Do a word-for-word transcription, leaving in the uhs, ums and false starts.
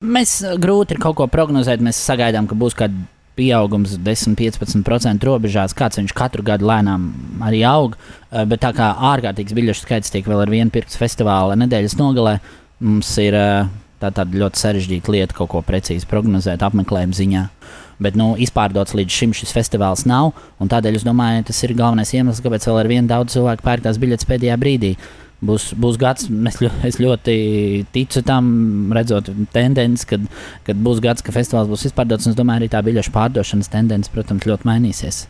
Mēs grūti ir kaut ko prognozēt. Mēs sagaidām, ka būs kāda pieaugums desmit līdz piecpadsmit procentu robežās. Kāds viņš katru gadu lēnām arī aug. Bet tā kā ārkārtīgs biļešu skaits tiek vēl ar vienu pirkts festivāla nedēļas nogalē, mums ir tā tāda ļoti sarežģīta lieta kaut ko precīzi prognozēt apmeklējuma ziņā. Bet nu, izpārdots līdz šim šis festivāls nav. Tādēļ es domāju, tas ir galvenais iemesls, kāpēc vēl ar vienu daudz cilvēku pērk tās biļetes pēdējā brīdī. Būs, būs gads, es, es ļoti ticu tam, redzot tendenci, kad, kad būs gads, ka festivāls būs izpārdots. Es domāju, arī tā biļešu pārdošanas tendence, protams, ļoti mainīsies.